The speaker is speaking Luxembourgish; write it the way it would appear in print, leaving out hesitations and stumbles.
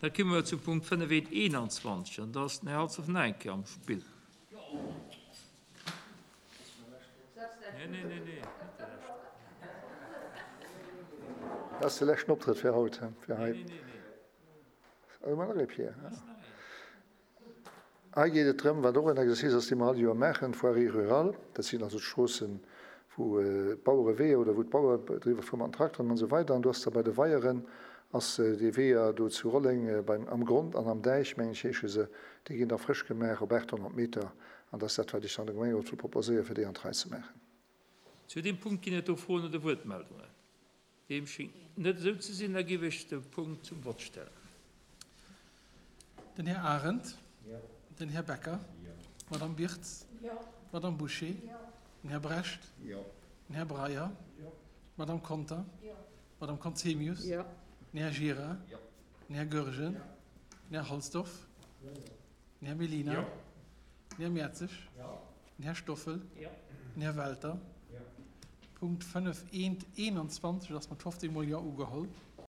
Da komme mer zum Punkt 5.21 an do ass den Här Halsdorf nach eng Kéier am Spill. Dat ass de leschten Optrëtt fir haut, fir hei. Oh, mar nach ee, Pierre. Hei geet et drëm, wat och en Exercice ass, dee mer all Joer maachen, d'Voirie rurale, dat sinn also d'Stroossen, wou d'Bauereweeër oder wou d'Bauere driwwer fuere mat den Trakteren an esou weider. An do ass da bei de Weieren ass déi Weeër do zu Rolleng beim Am Grond an Am Däich, mengen ech heesche se, déi ginn da frësch gemaach op 800 Meter. An dat ass dat, wat ech dann dem Gemengerot wëll proposéieren, fir déi an d'Rei ze maachen. Zu deem Punkt ginn et do Froen oder Wuertmeldungen? Deem schéngt net esou ze sinn. Da géif ech de Punkt zum Vott stellen. Den Här Arendt. Den Här Becker. D'Madame Birtz. D'Madame Bouché. Den Här Brecht. Den Här Breyer. D'Madame Conter. D'Madame Conzemius. Den Här Gira. Den Här Goergen. Den Här Halsdorf. Den Här Mellina. Den Här Mertzig. Den Här Stoffel. Den Här Welter. Punkt 5 eent 21 ass mat 15 mol Jo ugeholl.